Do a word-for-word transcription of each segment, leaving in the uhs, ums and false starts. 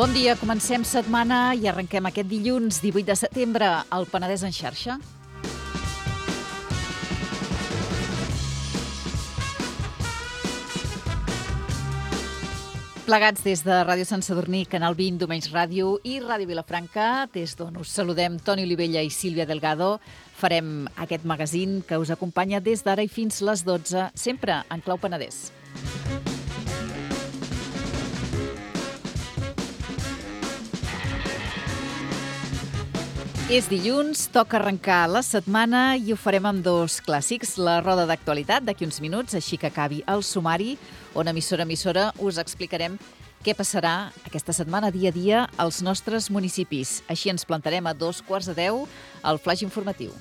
Bon dia, comencem setmana i arrenquem aquest dilluns divuit de setembre al Penedès en xarxa. Plegats des de Ràdio Sant Sadurní, Canal vint, Domenys Ràdio i Ràdio Vilafranca, des d'on us saludem Toni Olivella i Sílvia Delgado. Farem aquest magazín que us acompanya des d'ara i fins les dotze, sempre en clau Penedès. És dilluns, toca arrencar la setmana i ho farem amb dos clàssics. La roda d'actualitat d'aquí uns minuts, així que acabi el sumari, on emissora a emissora us explicarem què passarà aquesta setmana dia a dia als nostres municipis. Així ens plantarem a dos quarts de deu al flaix informatiu.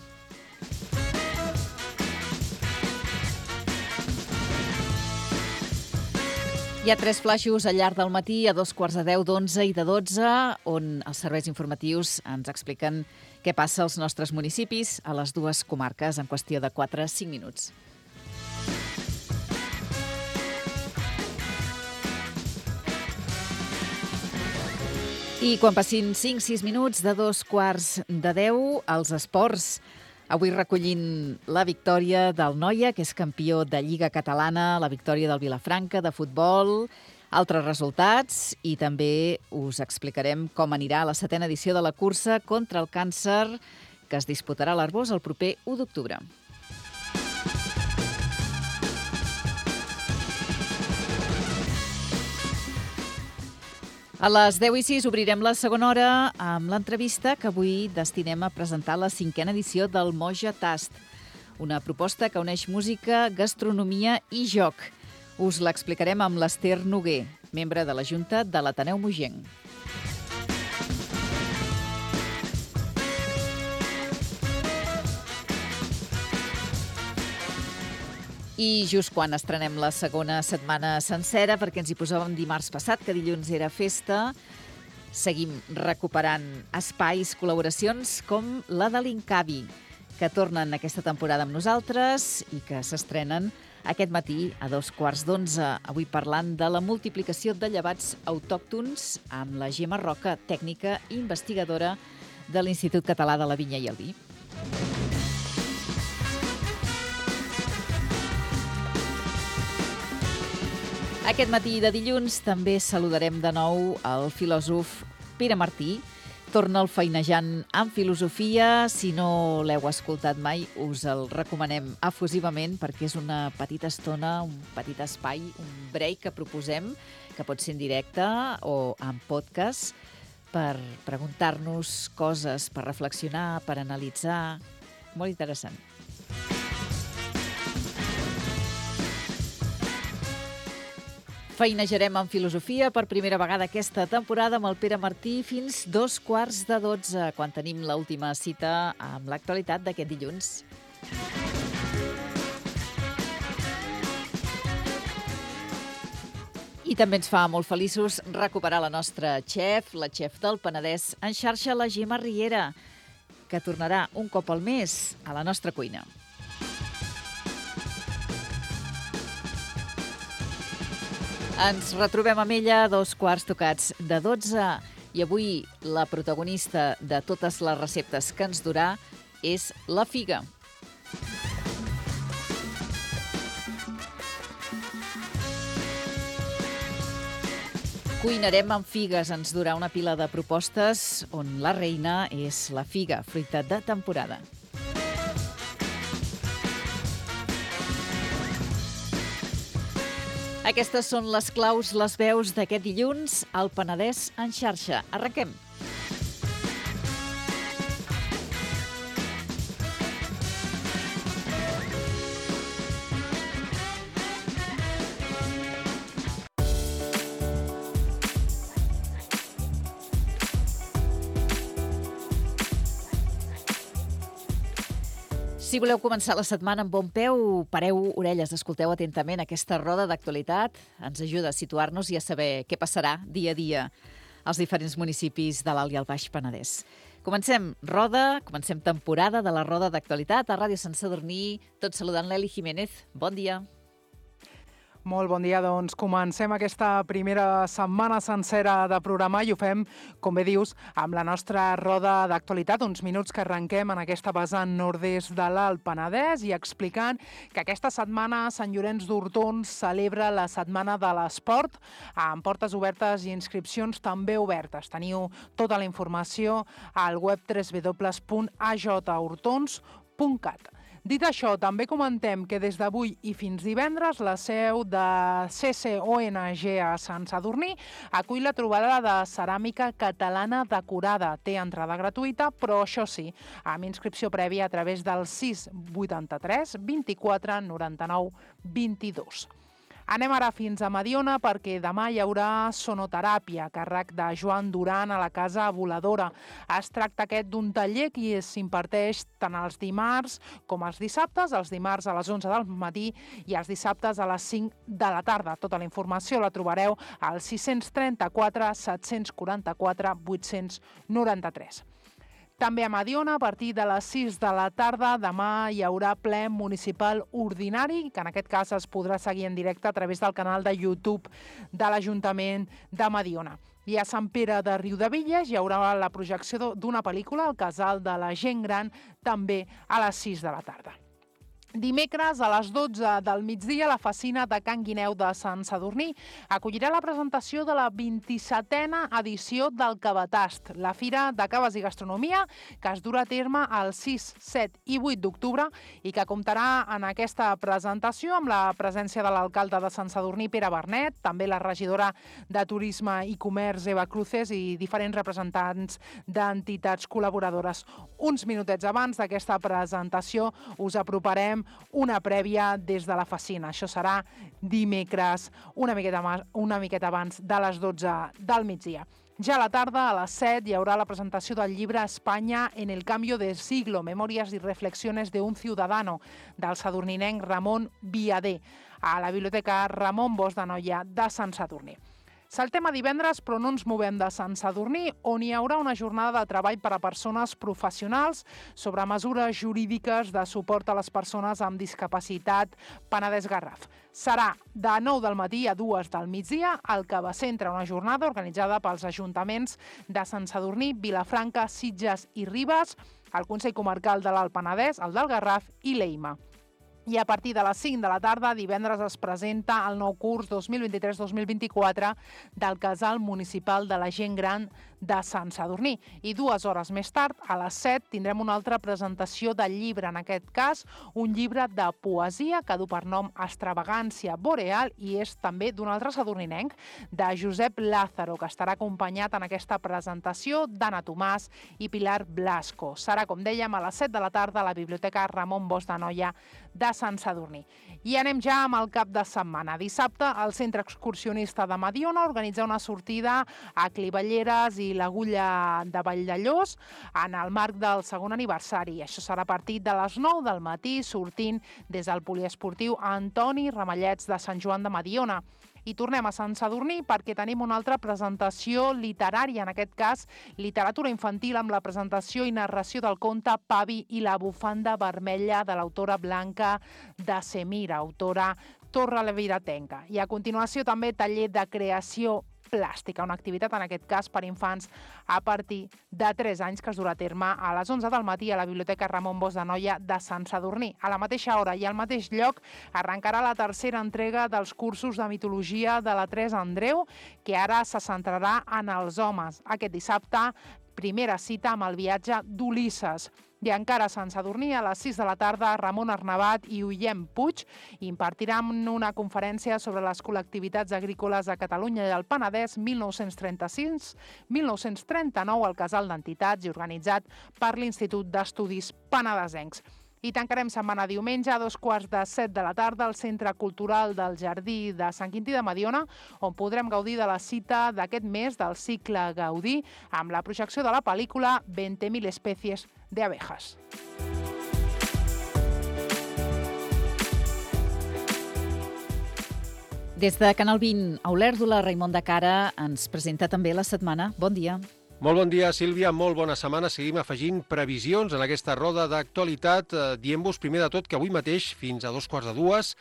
Hi ha tres flaixos al llarg del matí, a dos quarts de deu, d'onze i de dotze, on els serveis informatius ens expliquen què passa als nostres municipis, a les dues comarques, en qüestió de quatre a cinc minuts. I quan passin cinc a sis minuts de dos quarts de deu, els esports. Avui recollint la victòria del Noia, que és campió de Lliga Catalana, la victòria del Vilafranca de futbol, altres resultats, i també us explicarem com anirà la setena edició de la cursa contra el càncer, que es disputarà a l'Arboç el proper u d'octubre. A les deu i sis obrirem la segona hora amb l'entrevista que avui destinem a presentar la cinquena edició del Moja Tast, una proposta que uneix música, gastronomia i joc. Us l'explicarem amb l'Ester Noguer, membre de la Junta de l'Ateneu Moienc. I just quan estrenem la segona setmana sencera, perquè ens hi posàvem dimarts passat, que dilluns era festa, seguim recuperant espais, col·laboracions com la de l'Incavi, que tornen aquesta temporada amb nosaltres i que s'estrenen aquest matí a dos quarts d'onze. Avui parlant de la multiplicació de llevats autòctons amb la Gemma Roca, tècnica i investigadora de l'Institut Català de la Vinya i el Vi. Aquest matí de dilluns també saludarem de nou el filòsof Pere Martí. Torna el Feinejant amb filosofia. Si no l'heu escoltat mai, us el recomanem efusivament perquè és una petita estona, un petit espai, un break que proposem, que pot ser en directe o en podcast, per preguntar-nos coses, per reflexionar, per analitzar. Molt interessant. Feinejarem en filosofia per primera vegada aquesta temporada amb el Pere Martí fins dos quarts de dotze, quan tenim l'última cita amb l'actualitat d'aquest dilluns. I també ens fa molt feliços recuperar la nostra xef, la xef del Penedès en xarxa, la Gemma Riera, que tornarà un cop al mes a la nostra cuina. Ens retrobem amb ella a dos quarts tocats de dotze i avui la protagonista de totes les receptes que ens durà és la figa. Cuinarem amb figues, ens durà una pila de propostes on la reina és la figa, fruita de temporada. Aquestes són les claus, les veus d'aquest dilluns al Penedès en xarxa. Arrenquem. Si voleu començar la setmana amb bon peu, pareu orelles, escolteu atentament aquesta roda d'actualitat. Ens ajuda a situar-nos i a saber què passarà dia a dia als diferents municipis de l'Alt i el Baix Penedès. Comencem roda, comencem temporada de la roda d'actualitat a Ràdio Sant Sadurní, tot saludant l'Eli Jiménez. Bon dia. Molt bon dia, doncs comencem aquesta primera setmana sencera de programa i ho fem, com bé dius, amb la nostra roda d'actualitat, uns minuts que arrenquem en aquesta vessant nord-est de l'Alt Penedès i explicant que aquesta setmana Sant Llorenç d'Hortons celebra la Setmana de l'Esport amb portes obertes i inscripcions també obertes. Teniu tota la informació al web w w w punt a j hortons punt cat. Dit això, també comentem que des d'avui i fins divendres la seu de C C O N G a Sant Sadurní acull la trobada de ceràmica catalana decorada. Té entrada gratuïta, però això sí, amb inscripció prèvia a través del sis vuitanta-tres vint-i-quatre noranta-nou vint-i-dos. Anem ara fins a Mediona perquè demà hi haurà sonoteràpia a càrrec de Joan Duran a la Casa Voladora. Es tracta aquest d'un taller que s'imparteix tant els dimarts com els dissabtes, els dimarts a les onze del matí i els dissabtes a les cinc de la tarda. Tota la informació la trobareu al sis trenta-quatre set quaranta-quatre vuit noranta-tres. També a Mediona, a partir de les sis de la tarda, demà hi haurà ple municipal ordinari, que en aquest cas es podrà seguir en directe a través del canal de YouTube de l'Ajuntament de Mediona. I a Sant Pere de Riudebitlles hi haurà la projecció d'una pel·lícula, El casal de la gent gran, també a les sis de la tarda. Dimecres a les dotze del migdia la Facina de Can Guineu de Sant Sadurní acollirà la presentació de la vint-i-setena edició del Cabatast, la Fira de Caves i Gastronomia que es durà a terme el sis, set i vuit d'octubre i que comptarà en aquesta presentació amb la presència de l'alcalde de Sant Sadurní, Pere Bernet, també la regidora de Turisme i Comerç, Eva Cruces, i diferents representants d'entitats col·laboradores. Uns minutets abans d'aquesta presentació us aproparem una prèvia des de la Facina. Això serà dimecres, una miqueta, una miqueta abans de les dotze del migdia. Ja a la tarda, a les set, hi haurà la presentació del llibre Espanya en el cambio de siglo, memòries i reflexiones de un ciudadano, del sadurninenc Ramon Viader, a la Biblioteca Ramon Bosch de Noia de Sant Sadurní. Saltem a divendres, però no ens movem de Sant Sadurní, on hi haurà una jornada de treball per a persones professionals sobre mesures jurídiques de suport a les persones amb discapacitat Penedès Garraf. Serà de nou del matí a dues del migdia, al que va centre una jornada organitzada pels ajuntaments de Sant Sadurní, Vilafranca, Sitges i Ribes, el Consell Comarcal de l'Alt Penedès, el del Garraf i l'EIMA. I a partir de les cinc de la tarda, divendres, es presenta el nou curs dos mil vint-i-tres dos mil vint-i-quatre del Casal Municipal de la Gent Gran de Sant Sadurní. I dues hores més tard, a les set, tindrem una altra presentació del llibre, en aquest cas, un llibre de poesia que du per nom Extravagància Boreal i és també d'un altre sadurninenc, de Josep Lázaro, que estarà acompanyat en aquesta presentació d'Anna Tomàs i Pilar Blasco. Serà, com dèiem, a les set de la tarda a la Biblioteca Ramon Bosch de Noia de Sant Sadurní. I anem ja amb el cap de setmana. Dissabte, el Centre Excursionista de Mediona organitza una sortida a Clivalleres i l'Agulla de Valldellós en el marc del segon aniversari. Això serà a partir de les nou del matí, sortint des del poliesportiu Antoni Ramallets de Sant Joan de Mediona. I tornem a Sant Sadurní perquè tenim una altra presentació literària, en aquest cas literatura infantil amb la presentació i narració del conte Pavi i la bufanda vermella de l'autora Blanca de Semira, autora torreleviratenca. I a continuació també taller de creació plàstica, una activitat en aquest cas per infants a partir de tres anys que es durà a terme a les onze del matí a la Biblioteca Ramon Bosch de Noia de Sant Sadurní. A la mateixa hora i al mateix lloc arrencarà la tercera entrega dels cursos de mitologia de la Teresa Andreu, que ara se centrarà en els homes. Aquest dissabte, primera cita amb el viatge d'Ulisses. I encara a Sant Sadurní, a les sis de la tarda, Ramon Arnabat i Ullem Puig impartiran una conferència sobre les col·lectivitats agrícoles a Catalunya i al Penedès mil nou-cents trenta-sis mil nou-cents trenta-nou al Casal d'Entitats i organitzat per l'Institut d'Estudis Penedesencs. I tancarem setmana diumenge a dos quarts de set de la tarda al Centre Cultural del Jardí de Sant Quintí de Mediona, on podrem gaudir de la cita d'aquest mes del cicle Gaudí amb la projecció de la pel·lícula veinte mil especies de abejas. Des de Canal vint, a Olèrdola, Raimon de Cara ens presenta també la setmana. Bon dia. Molt bon dia, Sílvia. Molt bona setmana. Seguim afegint previsions en aquesta roda d'actualitat, eh, dient-vos primer de tot que avui mateix, fins a dos quarts de dues,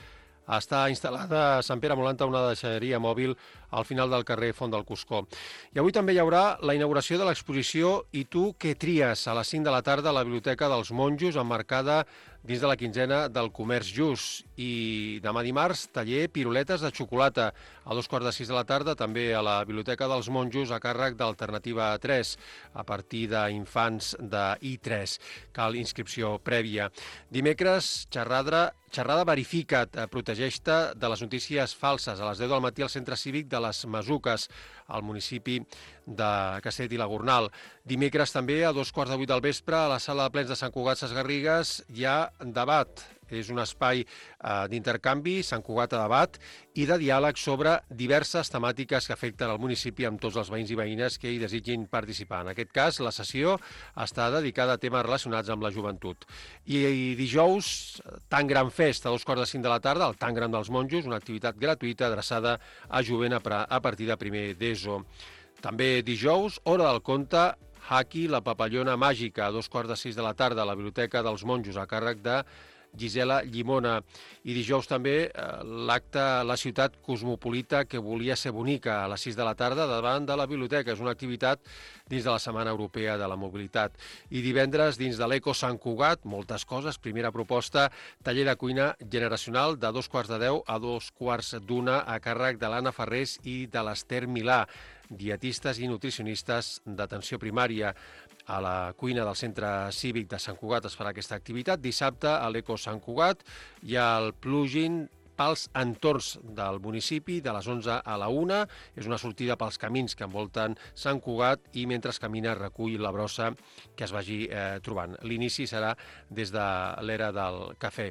està instal·lada a Sant Pere Molanta una deixalleria mòbil al final del carrer Font del Cuscó. I avui també hi haurà la inauguració de l'exposició I tu què tries? A les cinc de la tarda a la Biblioteca dels Monjos, emmarcada dins de la quinzena del comerç just. I demà dimarts, taller Piruletes de xocolata. A dos quarts de sis de la tarda, també a la Biblioteca dels Monjos, a càrrec d'Alternativa tres, a partir d'infants de I tres. Cal inscripció prèvia. Dimecres, xerrada, xerrada Verifica't, protegeix-te de les notícies falses, a les deu del matí al Centre Cívic de les Masuques, al municipi de Castellet i la Gornal. Dimecres també, a dos quarts de vuit del vespre, a la sala de plens de Sant Cugat Sesgarrigues, hi ha debat. És un espai eh, d'intercanvi, Sant Cugat a debat, i de diàleg sobre diverses temàtiques que afecten el municipi amb tots els veïns i veïnes que hi desitgin participar. En aquest cas, la sessió està dedicada a temes relacionats amb la joventut. I, i dijous, Tan Gran Fest, a dos quarts de cinc de la tarda, el Tan Gran dels Monjos, una activitat gratuïta adreçada a jovent a, a partir de primer d'ESO. També dijous, Hora del Conte, Haki, la papallona màgica, a dos quarts de sis de la tarda, a la Biblioteca dels Monjos, a càrrec de Gisela Llimona. I dijous també eh, l'acte La ciutat cosmopolita que volia ser bonica, a les sis de la tarda davant de la biblioteca. És una activitat dins de la Setmana Europea de la Mobilitat. I divendres, dins de l'Eco Sant Cugat, moltes coses. Primera proposta, taller de cuina generacional de dos quarts de deu a dos quarts d'una, a càrrec de l'Anna Ferrés i de l'Ester Milà, dietistes i nutricionistes d'atenció primària. A la cuina del Centre Cívic de Sant Cugat es farà aquesta activitat. Dissabte, a l'Eco Sant Cugat, hi ha el plugin pels entorns del municipi, de les onze a la una. És una sortida pels camins que envolten Sant Cugat i mentre camina recull la brossa que es vagi eh, trobant. L'inici serà des de l'era del cafè.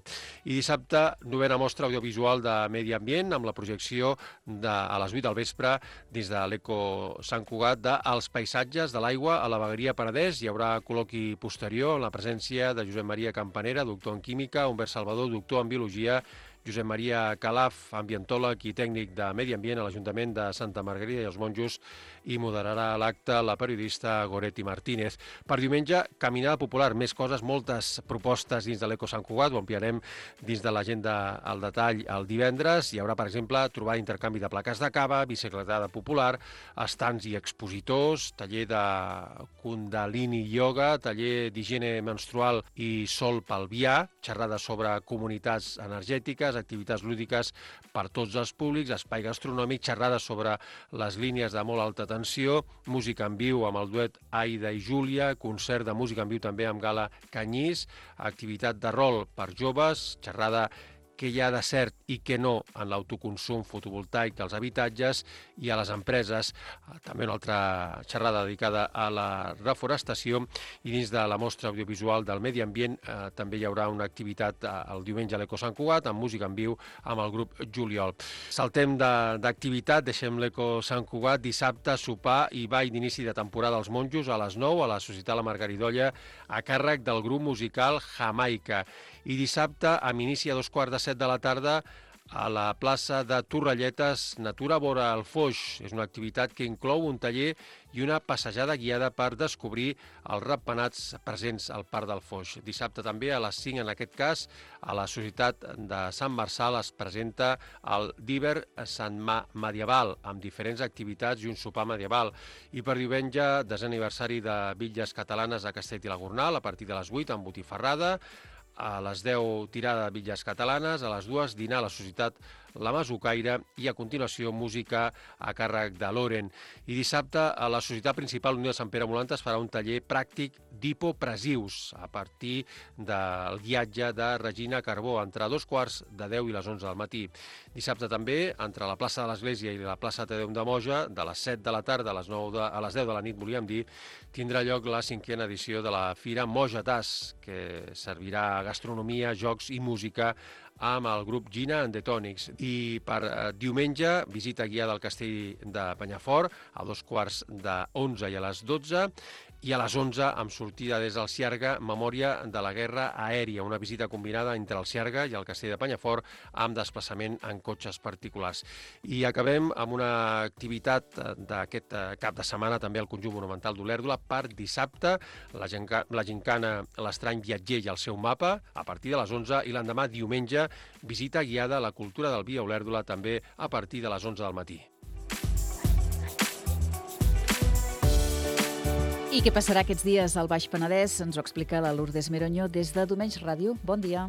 I dissabte, novena mostra audiovisual de Medi Ambient, amb la projecció de, a les vuit del vespre dins de l'Eco Sant Cugat de Els paisatges de l'aigua a la vegueria Penedès. Hi haurà col·loqui posterior en la presència de Josep Maria Campanera, doctor en química, Humbert Salvador, doctor en biologia, Josep Maria Calaf, ambientòleg i tècnic de Medi Ambient a l'Ajuntament de Santa Margarida i els Monjos, i moderarà l'acte la periodista Goretti Martínez. Per diumenge, caminada popular, més coses, moltes propostes dins de l'Eco Sant Cugat, ho ampliarem dins de l'agenda al detall el divendres. Hi haurà, per exemple, trobar intercanvi de plaques de cava, bicicletada popular, estants i expositors, taller de Kundalini Yoga, taller d'higiene menstrual i sol pelvià, xerrada sobre comunitats energètiques, activitats lúdiques per tots els públics, espai gastronòmic, xerrades sobre les línies de molt alta tensió, música en viu amb el duet Aida i Júlia, concert de música en viu també amb Gala Canyís, activitat de rol per joves, xerrada què hi ha de cert i què no en l'autoconsum fotovoltaic dels habitatges i a les empreses. També una altra xerrada dedicada a la reforestació, i dins de la mostra audiovisual del Medi Ambient eh, també hi haurà una activitat eh, el diumenge a l'Eco Sant Cugat amb música en viu amb el grup Juliol. Saltem d'activitat, de, deixem l'Eco Sant Cugat. Dissabte, sopar i ball d'inici de temporada als Monjos a les nou a la Societat La Margaridolla a càrrec del grup musical Jamaica. I dissabte, amb inici a dos quarts de set de la tarda, a la plaça de Torrelletes, Natura vora el Foix. És una activitat que inclou un taller i una passejada guiada per descobrir els ratpenats presents al Parc del Foix. Dissabte també, a les cinc, en aquest cas, a la Societat de Sant Marçal es presenta el Diver Sant Ma Medieval, amb diferents activitats i un sopar medieval. I per diumenge, desè aniversari de Bitlles Catalanes a Castellet i la Gornal, a partir de les vuit, amb botifarrada. A les deu, tirada de bitlles catalanes, a les dues, dinar a la Societat La Masucaire i a continuació música a càrrec de Loren. I dissabte a la Societat Principal Unió de Sant Pere Molanta es farà un taller pràctic d'hipopresius a partir del guiatge de Regina Carbó entre dos quarts de deu i les onze del matí. Dissabte també, entre la plaça de l'Església i la plaça Tedeu de Moja, de les set de la tarda a les, nou de, a les deu de la nit, volíem dir, tindrà lloc la cinquena edició de la Fira Moja-Tas, que servirà gastronomia, jocs i música amb el grup Gina and the Tonics. I per eh, diumenge, visita guiada al castell de Penyafort a dos quarts d'onze i a les dotze, i a les onze, amb sortida des del Ciarga, memòria de la guerra aèria, una visita combinada entre el Ciarga i el castell de Penyafort amb desplaçament en cotxes particulars. I acabem amb una activitat d'aquest cap de setmana també al Conjunt Monumental d'Olèrdola per dissabte, la, ginca, la gincana L'Estrany Viatger i el seu mapa, a partir de les onze, i l'endemà, diumenge, visita guiada a la cultura del vi a Olèrdola també a partir de les onze del matí. I què passarà aquests dies al Baix Penedès? Ens ho explica la Lourdes Meroño des de Domenys Ràdio. Bon dia.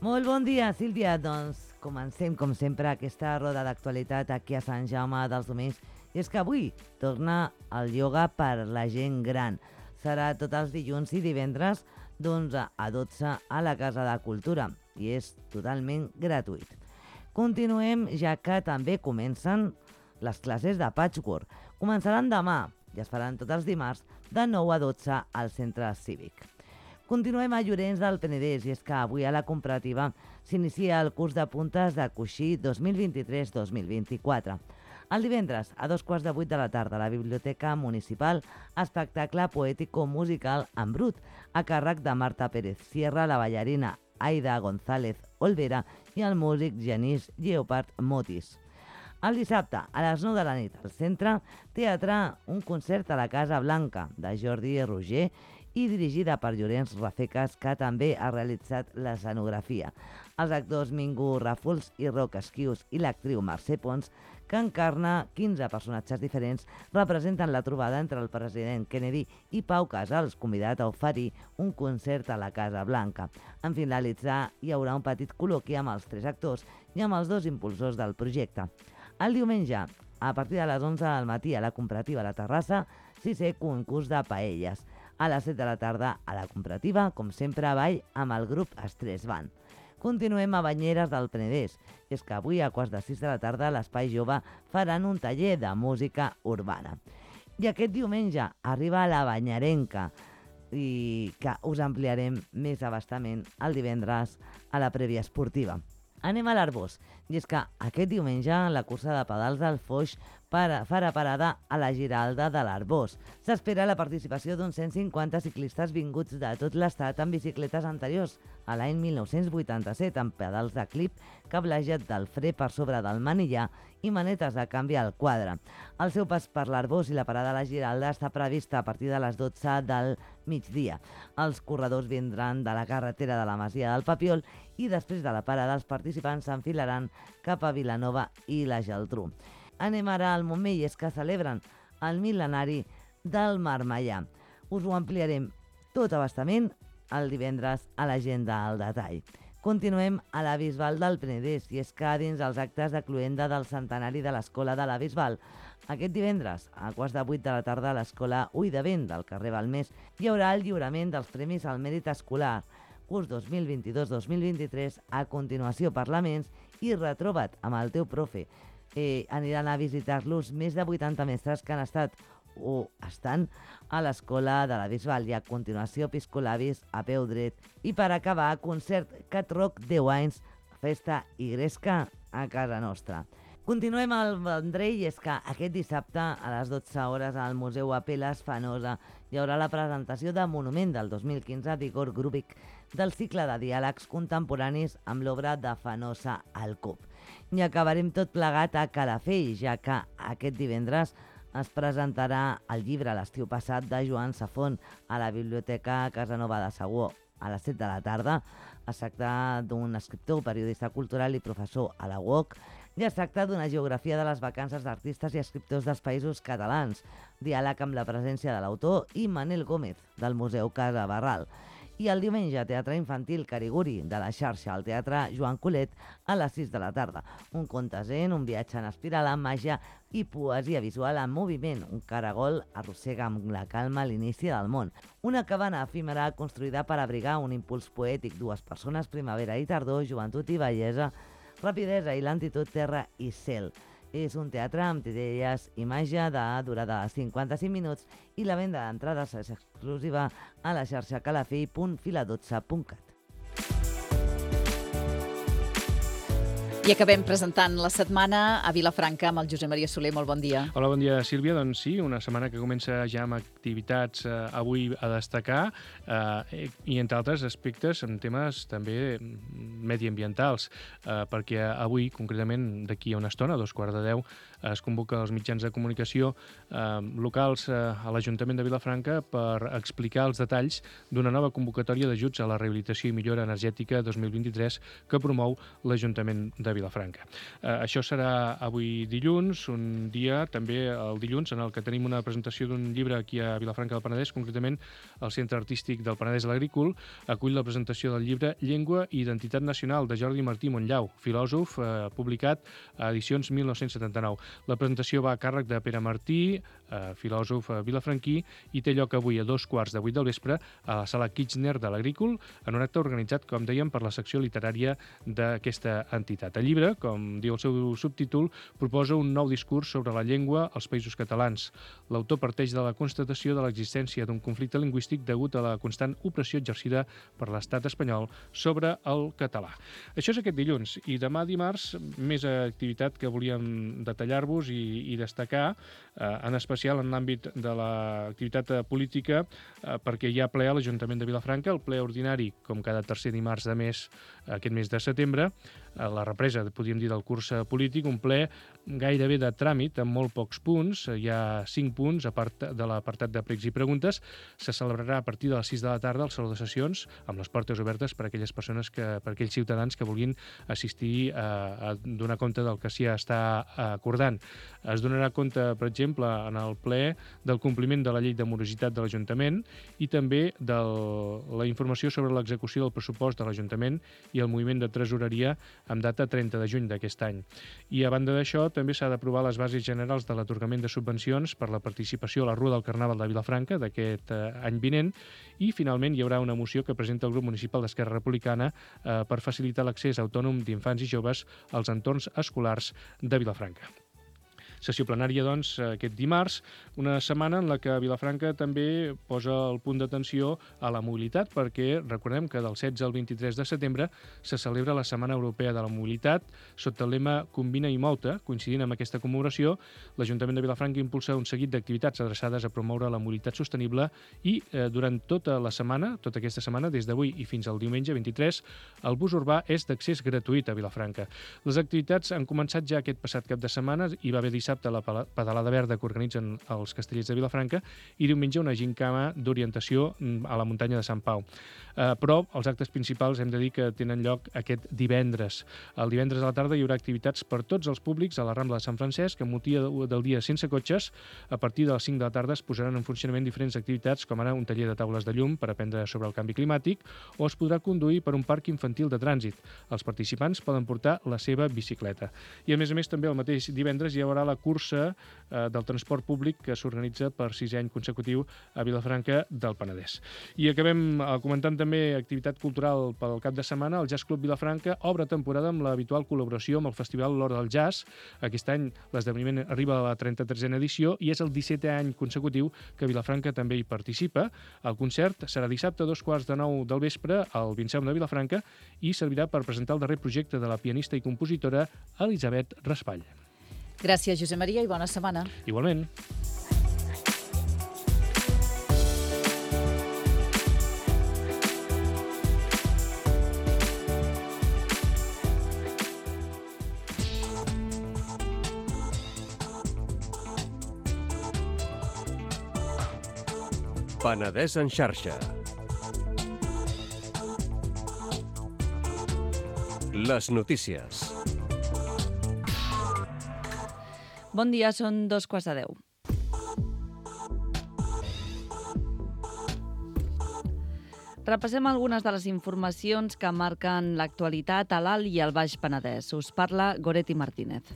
Molt bon dia, Sílvia. Doncs comencem, com sempre, aquesta roda d'actualitat aquí a Sant Jaume dels Domenys. I és que avui torna el ioga per la gent gran. Serà tots els dilluns i divendres d'onze a dotze a la Casa de Cultura i és totalment gratuït. Continuem, ja que també comencen les classes de patchwork. Començaran demà i es faran tots els dimarts de nou a dotze al centre cívic. Continuem a Llorenç del Penedès i és que avui a la comparativa s'inicia el curs de puntes de coixí dos mil vint-i-tres dos mil vint-i-quatre. El divendres, a dos quarts de vuit de la tarda, a la Biblioteca Municipal, espectacle poètico-musical en brut, a càrrec de Marta Pérez Sierra, la ballarina Aida González Olvera i el músic Genís Lleopard Motis. El dissabte, a les nou de la nit, al centre, teatre, un concert a la Casa Blanca, de Jordi Roger, i dirigida per Llorenç Rafecas, que també ha realitzat l'escenografia. Els actors Mingo Ràfols i Roc Esquius i l'actriu Mercè Pons, que encarna quinze personatges diferents, representen la trobada entre el president Kennedy i Pau Casals, convidat a oferir un concert a la Casa Blanca. En finalitzar, hi haurà un petit col·loqui amb els tres actors i amb els dos impulsors del projecte. El diumenge, a partir de les onze del matí a la Comparativa a la Terrassa, sisè concurs de paelles. A les set de la tarda a la Comparativa, com sempre, a ball amb el grup Estrès Band. Continuem a Banyeres del Penedès, i és que avui a quarts de sis de la tarda a l'Espai Jove faran un taller de música urbana. I aquest diumenge arriba la Banyarenca, i que us ampliarem més abastament el divendres a la prèvia esportiva. Anem a l'Arbós, i és que aquest diumenge la cursa de pedals del Foix para, farà parada a la Giralda de l'Arbós. S'espera la participació d'uns cent cinquanta ciclistes vinguts de tot l'estat amb bicicletes anteriors a l'any mil nou-cents vuitanta-set, amb pedals de clip, cablejat del fre per sobre del manillar i manetes de canvi al quadre. El seu pas per l'Arbós i la parada a la Giralda està prevista a partir de les dotze del migdia. Els corredors vindran de la carretera de la Masia del Papiol i després de la parada els participants s'enfilaran cap a Vilanova i la Geltrú. Anem ara al Montmell, és que celebren el mil·lenari del Marmellà. Us ho ampliarem tot abastament el divendres a l'agenda al detall. Continuem a la Bisbal del Penedès, i és que dins els actes de cloenda del centenari de l'Escola de la Bisbal, aquest divendres, a quarts de vuit de la tarda, a l'Escola Ull de Vent del carrer Balmés, hi haurà el lliurament dels Premis al Mèrit Escolar, curs dos mil vint-i-dos dos mil vint-i-tres, a continuació Parlaments i Retroba't amb el teu profe. Eh, aniran a visitar-los més de vuitanta mestres que han estat o estan a l'Escola de la Bisbal, i a continuació Piscolabis a peu dret. I per acabar, concert Cat Rock deu anys, festa i gresca a casa nostra. Continuem al Vendrell, i és que aquest dissabte a les dotze hores al Museu Apel·les Fanosa hi haurà la presentació de Monument del dos mil quinze d'Igor Grubik del cicle de diàlegs contemporanis amb l'obra de Fanosa al Cub. I acabarem tot plegat a Calafell, ja que aquest divendres es presentarà el llibre L'estiu passat de Joan Safont a la Biblioteca Casanova de Segur a les set de la tarda. Es tracta d'un escriptor, periodista cultural i professor a la U O C, i es tracta d'una geografia de les vacances d'artistes i escriptors dels països catalans, diàleg amb la presència de l'autor i Manel Gómez, del Museu Casa Barral. I el diumenge, Teatre Infantil Cariguri, de la xarxa al Teatre Joan Colet, a les sis de la tarda. Un conte zen, un viatge en espiral amb màgia i poesia visual en moviment. Un caragol arrossega amb la calma l'inici del món. Una cabana efímera construïda per abrigar un impuls poètic, dues persones, primavera i tardor, joventut i bellesa, rapidesa i lentitud, terra i cel. És un teatre amb titelles i màgia de durada de cinquanta-cinc minuts i la venda d'entrades és exclusiva a la xarxa calafell punt fila dotze punt cat. I acabem presentant la setmana a Vilafranca amb el Josep Maria Soler. Molt bon dia. Hola, bon dia, Sílvia. Doncs sí, una setmana que comença ja amb activitats eh, avui a destacar eh, i, entre altres aspectes, en temes també mediambientals, eh, perquè avui, concretament d'aquí a una estona, a dos quarts de deu, es convoca els mitjans de comunicació eh, locals eh, a l'Ajuntament de Vilafranca per explicar els detalls d'una nova convocatòria d'ajuts a la rehabilitació i millora energètica dos mil vint-i-tres que promou l'Ajuntament de Vilafranca. Eh, això serà avui dilluns, un dia també el dilluns en el que tenim una presentació d'un llibre aquí a Vilafranca del Penedès, concretament el Centre Artístic del Penedès a l'Agrícola acull la presentació del llibre Llengua i Identitat Nacional de Jordi Martí Montllau, filòsof, eh, publicat a edicions mil nou-cents setanta-nou. La presentació va a càrrec de Pere Martí, eh, filòsof eh, vilafranquí, i té lloc avui a dos quarts de vuit del vespre a la sala Kirchner de l'Agrícola, en un acte organitzat, com dèiem, per la secció literària d'aquesta entitat. El llibre, com diu el seu subtítol, proposa un nou discurs sobre la llengua als Països Catalans. L'autor parteix de la constatació de l'existència d'un conflicte lingüístic degut a la constant opressió exercida per l'estat espanyol sobre el català. Això és aquest dilluns, i demà dimarts més activitat que volíem detallar-vos i, i destacar, eh, en especial en l'àmbit de l'activitat política, eh, perquè hi ha ple a l'Ajuntament de Vilafranca, el ple ordinari, com cada tercer dimarts de mes, aquest mes de setembre, a la represa, podríem dir, del curs polític, un ple gairebé de tràmit, amb molt pocs punts. Hi ha cinc punts, a part de l'apartat de pregs i preguntes. Se celebrarà a partir de les sis de la tarda el saló de sessions, amb les portes obertes per a aquelles persones, que, per a aquells ciutadans que vulguin assistir a, a donar compte del que s'hi està acordant. Es donarà compte, per exemple, en el ple del compliment de la llei de morositat de l'Ajuntament i també de la informació sobre l'execució del pressupost de l'Ajuntament i el moviment de tresoreria amb data trenta de juny d'aquest any. I a banda d'això, també s'ha d'aprovar les bases generals de l'atorgament de subvencions per la participació a la Rua del Carnaval de Vilafranca d'aquest eh, any vinent, i finalment hi haurà una moció que presenta el grup municipal d'Esquerra Republicana eh, per facilitar l'accés autònom d'infants i joves als entorns escolars de Vilafranca. Sessió plenària, doncs, aquest dimarts, una setmana en la que Vilafranca també posa el punt d'atenció a la mobilitat, perquè recordem que del setze al vint-i-tres de setembre se celebra la Setmana Europea de la Mobilitat sota el lema Combina i Mou-te. Coincidint amb aquesta commemoració, l'Ajuntament de Vilafranca impulsa un seguit d'activitats adreçades a promoure la mobilitat sostenible i eh, durant tota la setmana, tota aquesta setmana, des d'avui i fins al diumenge vint-i-tres, el bus urbà és d'accés gratuït a Vilafranca. Les activitats han començat ja aquest passat cap de setmana, hi va haver dissabte la pedalada verda que organitzen els Castellers de Vilafranca i diumenge una gincama d'orientació a la muntanya de Sant Pau. Eh, però els actes principals hem de dir que tenen lloc aquest divendres. El divendres a la tarda hi haurà activitats per tots els públics a la Rambla de Sant Francesc, amb motiu del dia sense cotxes. A partir de les cinc de la tarda es posaran en funcionament diferents activitats, com ara un taller de taules de llum per aprendre sobre el canvi climàtic, o es podrà conduir per un parc infantil de trànsit. Els participants poden portar la seva bicicleta. I a més a més també el mateix divendres hi haurà la cursa eh, del transport públic que s'organitza per sisè any consecutiu a Vilafranca del Penedès. I acabem eh, comentant també activitat cultural pel cap de setmana. El Jazz Club Vilafranca obre temporada amb l'habitual col·laboració amb el Festival L'Hora del Jazz. Aquest any l'esdeveniment arriba a la trenta-tresena edició i és el dissetè any consecutiu que Vilafranca també hi participa. El concert serà dissabte a dos quarts de nou del vespre al Vinceum de Vilafranca i servirà per presentar el darrer projecte de la pianista i compositora Elisabet Raspall. Gràcies, Josep Maria, i bona setmana. Igualment. Penedès en xarxa. Les notícies. Bon dia, són dos quarts de deu. Repassem algunes de les informacions que marquen l'actualitat a l'Alt i al Baix Penedès. Us parla Goretti Martínez.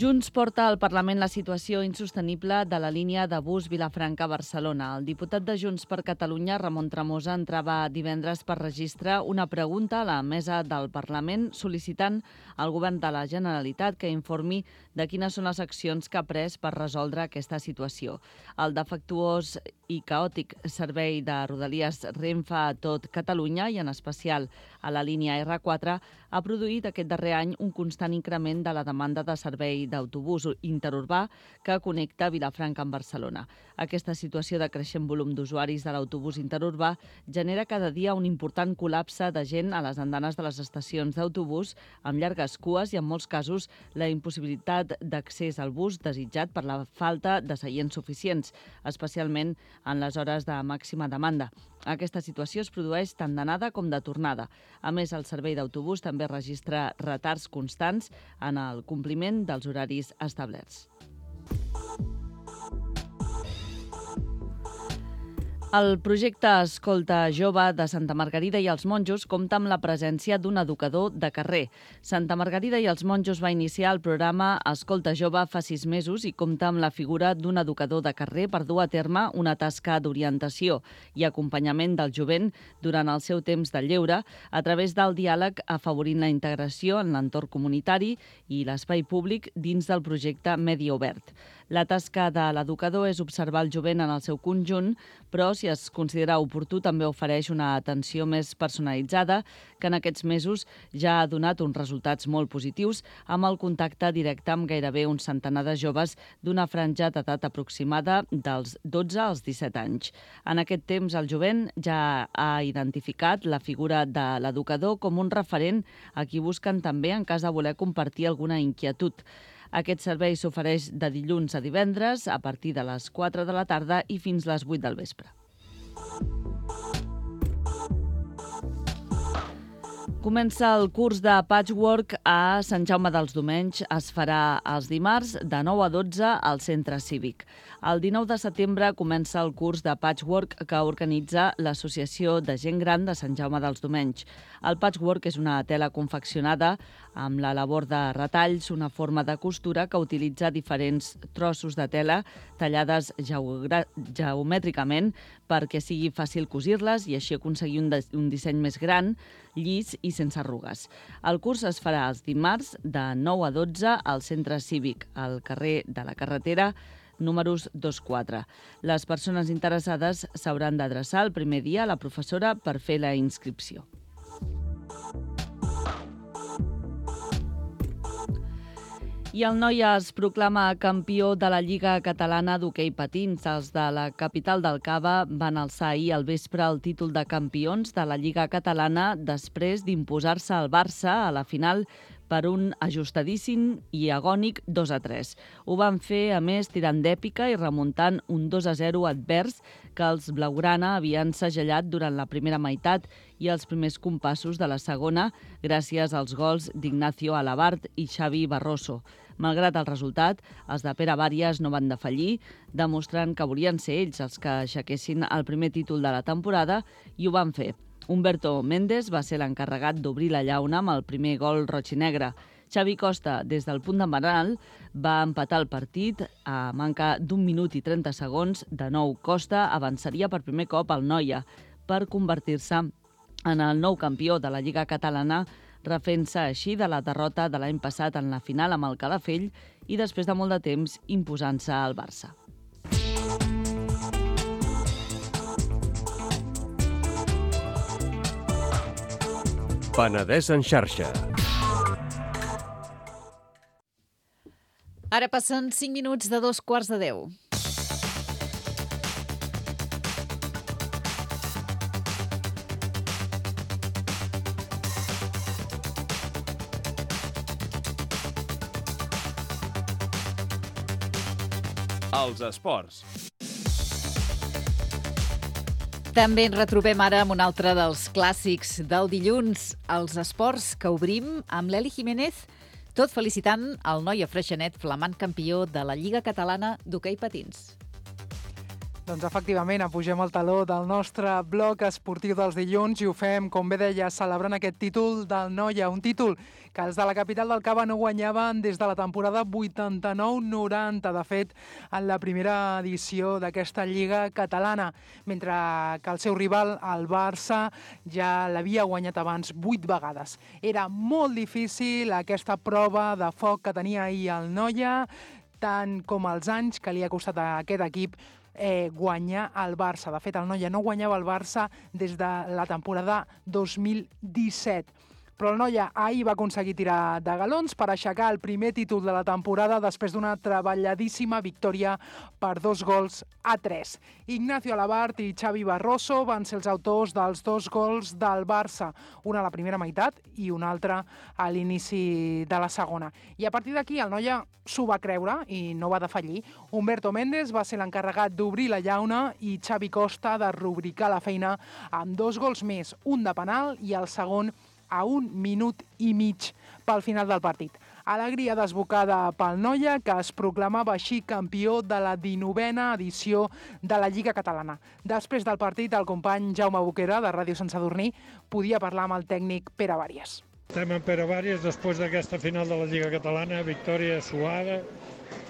Junts porta al Parlament la situació insostenible de la línia de bus Vilafranca-Barcelona. El diputat de Junts per Catalunya, Ramon Tremosa, entrava divendres per registre una pregunta a la mesa del Parlament sol·licitant al govern de la Generalitat que informi de quines són les accions que ha pres per resoldre aquesta situació. El defectuós i caòtic servei de Rodalies Renfe a tot Catalunya i en especial a la línia erre quatre ha produït aquest darrer any un constant increment de la demanda de servei d'autobús interurbà que connecta Vilafranca amb Barcelona. Aquesta situació de creixent volum d'usuaris de l'autobús interurbà genera cada dia un important col·lapse de gent a les andanes de les estacions d'autobús amb llargues cues i, en molts casos, la impossibilitat d'accés al bus desitjat per la falta de seients suficients, especialment en les hores de màxima demanda. Aquesta situació es produeix tant d'anada com de tornada. A més, el servei d'autobús també registra retards constants en el compliment dels horaris establerts. El projecte Escolta Jove de Santa Margarida i els Monjos compta amb la presència d'un educador de carrer. Santa Margarida i els Monjos va iniciar el programa Escolta Jove fa sis mesos i compta amb la figura d'un educador de carrer per dur a terme una tasca d'orientació i acompanyament del jovent durant el seu temps de lleure a través del diàleg afavorint la integració en l'entorn comunitari i l'espai públic dins del projecte Medi Obert. La tasca de l'educador és observar el jovent en el seu conjunt, però si es considera oportú també ofereix una atenció més personalitzada que en aquests mesos ja ha donat uns resultats molt positius amb el contacte directe amb gairebé un centenar de joves d'una franja d'edat aproximada dels dotze als disset anys. En aquest temps el jovent ja ha identificat la figura de l'educador com un referent a qui busquen també en cas de voler compartir alguna inquietud. Aquest servei s'ofereix de dilluns a divendres a partir de les quatre de la tarda i fins les vuit del vespre. Comença el curs de patchwork a Sant Jaume dels Domenys. Es farà els dimarts de nou a dotze al centre cívic. El dinou de setembre comença el curs de patchwork que organitza l'Associació de Gent Gran de Sant Jaume dels Domenys. El patchwork és una tela confeccionada amb la labor de retalls, una forma de costura que utilitza diferents trossos de tela tallades geomètricament perquè sigui fàcil cosir-les i així aconseguir un, un disseny més gran, llis i sense arrugues. El curs es farà els dimarts de nou a dotze al centre cívic, al carrer de la Carretera, números dos quatre. Les persones interessades s'hauran d'adreçar el primer dia a la professora per fer la inscripció. I el Noia es proclama campió de la Lliga Catalana d'Hoquei Patins. Els de la capital del Cava van alçar ahir al vespre el títol de campions de la Lliga Catalana després d'imposar-se al Barça a la final per un ajustadíssim i agònic dos a tres. Ho van fer, a més, tirant d'èpica i remuntant un dos a zero advers que els blaugrana havien segellat durant la primera meitat i els primers compassos de la segona gràcies als gols d'Ignacio Alabart i Xavi Barroso. Malgrat el resultat, els de Pere Bàries no van defallir, demostrant que volien ser ells els que aixequessin el primer títol de la temporada i ho van fer. Humberto Méndez va ser l'encarregat d'obrir la llauna amb el primer gol roig i negre. Xavi Costa, des del punt d'embaral, va empatar el partit a manca d'un minut i trenta segons. De nou, Costa avançaria per primer cop al Noia per convertir-se en el nou campió de la Lliga Catalana, refent-se així de la derrota de l'any passat en la final amb el Calafell i després de molt de temps imposant-se al Barça. Penedès en xarxa. Ara passen cinc minuts de dos quarts de deu. Els esports. També ens retrobem ara amb un altre dels clàssics del dilluns, els esports, que obrim amb l'Eli Jiménez, tot felicitant el Noia Freixenet, flamant campió de la Lliga Catalana d'Hoquei Patins. Doncs efectivament, apugem el taló del nostre bloc esportiu dels dilluns i ho fem, com bé deia, celebrant aquest títol del Noia, un títol que els de la capital del Cava no guanyaven des de la temporada vuitanta-nou noranta, de fet, en la primera edició d'aquesta Lliga Catalana, mentre que el seu rival, el Barça, ja l'havia guanyat abans vuit vegades. Era molt difícil aquesta prova de foc que tenia ahir el Noia, tant com els anys que li ha costat a aquest equip eh, guanyar el Barça. De fet, el Noia no guanyava el Barça des de la temporada dos mil disset. Però el Noia ahir va aconseguir tirar de galons per aixecar el primer títol de la temporada després d'una treballadíssima victòria per dos gols a tres. Ignacio Alabart i Xavi Barroso van ser els autors dels dos gols del Barça, una a la primera meitat i una altra a l'inici de la segona. I a partir d'aquí el Noia s'ho va creure i no va defallir. Humberto Méndez va ser l'encarregat d'obrir la llauna i Xavi Costa de rubricar la feina amb dos gols més, un de penal i el segon a un minut i mig pel final del partit. Alegria desbocada pel Noia, que es proclamava així campió de la dinovena edició de la Lliga Catalana. Després del partit, el company Jaume Boquera, de Ràdio Sant Sadurní, podia parlar amb el tècnic Pere Bàries. Estem amb Pere Bàries després d'aquesta final de la Lliga Catalana, victòria suada,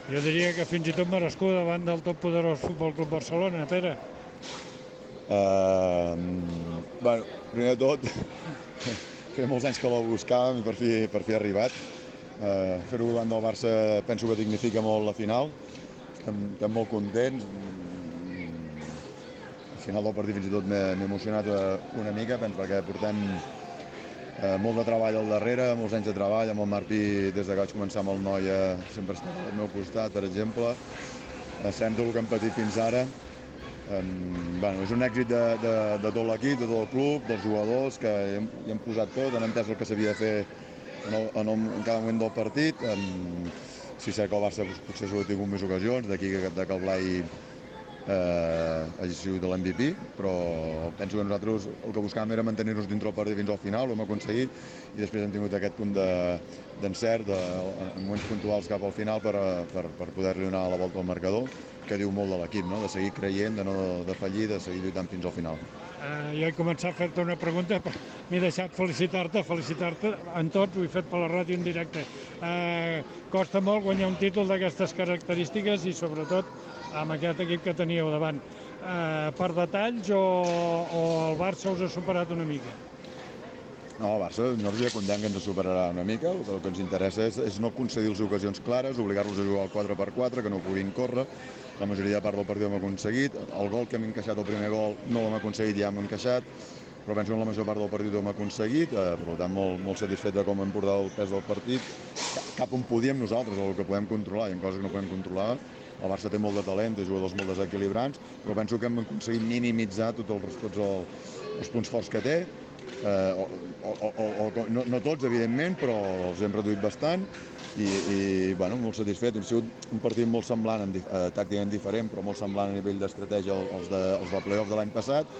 jo diria que fins i tot merescuda davant del tot poderós Futbol Club Barcelona. Pere? Uh, bueno, primer de tot, feia molts anys que la buscàvem i per fi, per fi ha arribat. Uh, Fer-ho davant del Barça penso que dignifica molt la final. Estem, estem molt contents. Al final del partit fins i tot m'he emocionat una mica, penso perquè portem uh, molt de treball al darrere, molts anys de treball, amb el Martí des de que vaig començar amb el Noia sempre està al meu costat, per exemple. Uh, sabem tot el que hem patit fins ara. Um, bueno, és un èxit de, de, de tot l'equip, de tot el club, dels jugadors, que hi hem, hi hem posat tot, han entès el que s'havia de fer en, el, en, el, en cada moment del partit. Um, sí, sé que el Barça potser s'ho ha tingut més ocasions, d'aquí que, que el Blai eh, hagi sigut l'M V P, però penso que nosaltres el que buscàvem era mantenir-nos dintre el partit fins al final, ho hem aconseguit, i després hem tingut aquest punt d'encert de, de, en moments puntuals cap al final per, per, per poder-li donar la volta al marcador, que diu molt de l'equip, no? De seguir creient, de no defallir, de seguir lluitant fins al final. Uh, jo he començat a fer-te una pregunta, però m'he deixat felicitar-te, felicitar-te en tot, ho he fet per la ràdio en directe. Uh, costa molt guanyar un títol d'aquestes característiques i sobretot amb aquest equip que teníeu davant. Uh, per detalls o, o el Barça us ha superat una mica? No, el Barça, nosaltres ja contem que ens superarà una mica. El que ens interessa és, és no concedir-los ocasions clares, obligar-los a jugar al quatre per quatre, que no puguin córrer. La majoria de part del partit ho hem aconseguit. El gol que hem encaixat, el primer gol, no l'hem aconseguit, ja hem encaixat. Però penso que la major part del partit ho hem aconseguit. Eh, per tant, molt, molt satisfet de com hem portat el pes del partit. Cap on podíem nosaltres, el que podem controlar. Hi ha coses que no podem controlar. El Barça té molt de talent, té jugadors molt desequilibrants, però penso que hem aconseguit minimitzar tots els, tots els, els punts forts que té. Eh, o, o, o, o, no, no tots, evidentment, però els hem reduït bastant i, i bueno, molt satisfet. Ha sigut un partit molt semblant, en, eh, tàcticament diferent, però molt semblant a nivell d'estratègia als de, als de play-off de l'any passat.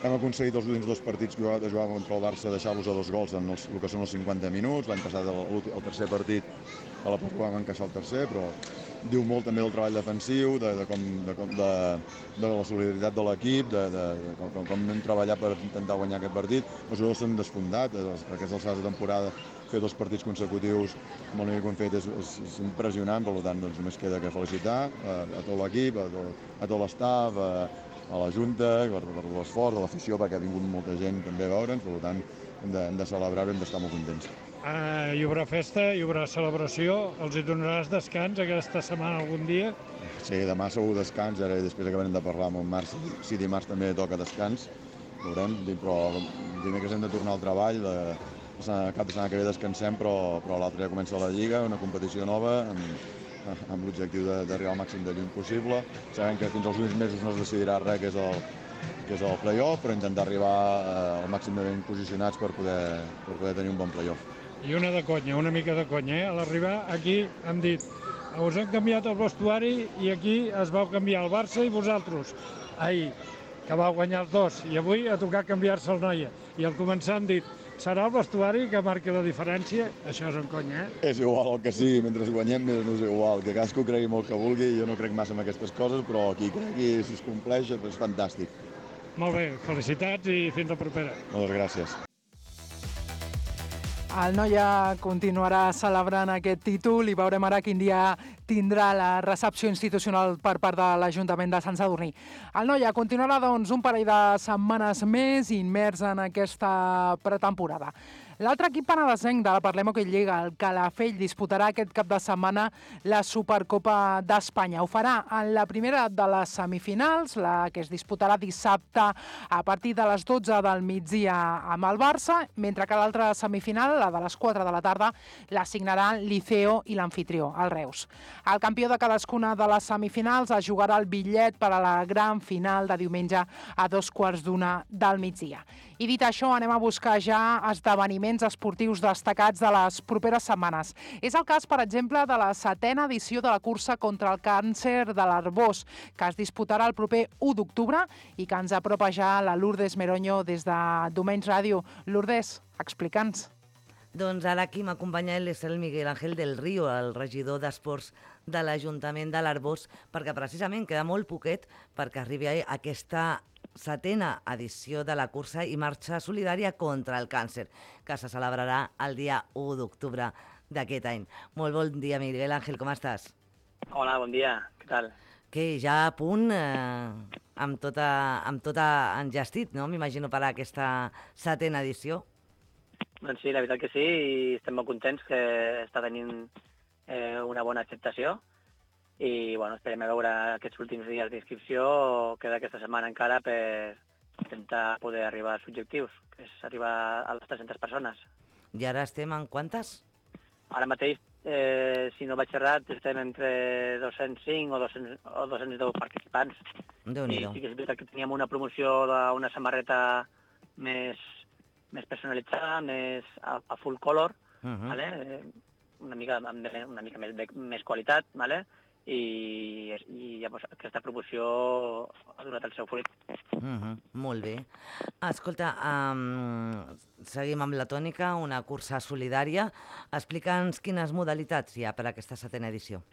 Hem aconseguit els últims dos partits que de jugar contra el Barça deixar-los a dos gols en els, el que són els cinquanta minuts. L'any passat, el, el tercer partit, a la part vam encaixar el tercer, però diu molt també del treball defensiu, de, de, com, de, de, de la solidaritat de l'equip, de, de, de com, com hem treballat per intentar guanyar aquest partit. Els jugadors s'han desfondat, per aquestes alçades de temporada, fer dos partits consecutius amb el nivell que hem fet és, és, és impressionant, per tant doncs, només queda que felicitar a, a tot l'equip, a tot, a tot l'estaf, a, a la Junta, per, per l'esforç, a l'afició, perquè ha vingut molta gent també a veure'ns, per tant hem de, hem de celebrar-ho i hem d'estar molt contents. Uh, hi haurà festa, hi haurà celebració, els hi donaràs descans aquesta setmana algun dia? Sí, demà segur descans, ara després acabarem de parlar amb en Marc, si dimarts també toca descans, veurem, però dimecres hem de tornar al treball, la, la cap de setmana que ve descansem, però, però l'altre ja comença la Lliga, una competició nova, amb, amb l'objectiu d'arribar al màxim de lluny possible. Sabem que fins als últims mesos no es decidirà res, que és el, que és el play-off, però intentar arribar eh, al màxim de ben posicionats per poder, per poder tenir un bon play-off. I una de conya, una mica de conya, eh? A l'arribar aquí hem dit us hem canviat el vestuari i aquí es vau canviar el Barça i vosaltres. Ahir, que vau guanyar els dos, i avui ha tocat canviar-se el Noia. I al començar hem dit serà el vestuari que marqui la diferència? Això és un conya, eh? És igual el que sigui, mentre guanyem més no és igual. Que cadascú cregui molt que vulgui, jo no crec massa en aquestes coses, però qui cregui, si es compleix, és fantàstic. Molt bé, felicitats i fins la propera. Moltes gràcies. El Noia continuarà celebrant aquest títol i veurem ara quin dia tindrà la recepció institucional per part de l'Ajuntament de Sant Sadurní. El Noia continuarà doncs un parell de setmanes més immers en aquesta pretemporada. L'altre equip penedesenc de la Parlem Hockey Lliga, el Calafell, disputarà aquest cap de setmana la Supercopa d'Espanya. Ho farà en la primera de les semifinals, la que es disputarà dissabte a partir de les dotze del migdia amb el Barça, mentre que l'altra semifinal, la de les quatre de la tarda, la signaran Liceo i l'anfitrió, el Reus. El campió de cadascuna de les semifinals es jugarà el bitllet per a la gran final de diumenge a dos quarts d'una del migdia. I dit això, anem a buscar ja esdeveniments esportius destacats de les properes setmanes. És el cas, per exemple, de la setena edició de la cursa contra el càncer de l'Arbós, que es disputarà el proper u d'octubre i que ens apropa ja la Lourdes Meroño des de Domenys Ràdio. Lourdes, explica'ns. Doncs ara aquí m'acompanya el Miguel Ángel del Río, el regidor d'Esports de l'Ajuntament de l'Arbós, perquè precisament queda molt poquet perquè arribi aquesta setena edició de la cursa i marxa solidària contra el càncer, que se celebrarà el dia u d'octubre d'aquest any. Molt bon dia, Miguel Ángel, com estàs? Hola, bon dia, què tal? Que ja a punt, eh, amb tota, amb tota engestit, no? M'imagino per a aquesta setena edició. Doncs sí, la veritat que sí, i estem molt contents que està tenint eh, una bona acceptació. I bueno, esperem a veure aquests últims dies d'inscripció, queda aquesta setmana encara per intentar poder arribar als objectius, que és arribar a les tres-centes persones. I ara estem en quantes? Ara mateix, eh, si no vaig errat, estem entre dos-cents cinc o dos-cents, o dos-cents deu participants. Déu-n'hi-do. I sí que és veritat que teníem una promoció d'una samarreta més, més personalitzada, més a, a full color, uh-huh. vale? una mica, una mica més, més qualitat, vale? i, i llavors aquesta promoció ha donat el seu fruit. Uh-huh, molt bé. Escolta, um, seguim amb la tònica, una cursa solidària. Explica'ns quines modalitats hi ha per a aquesta setena edició.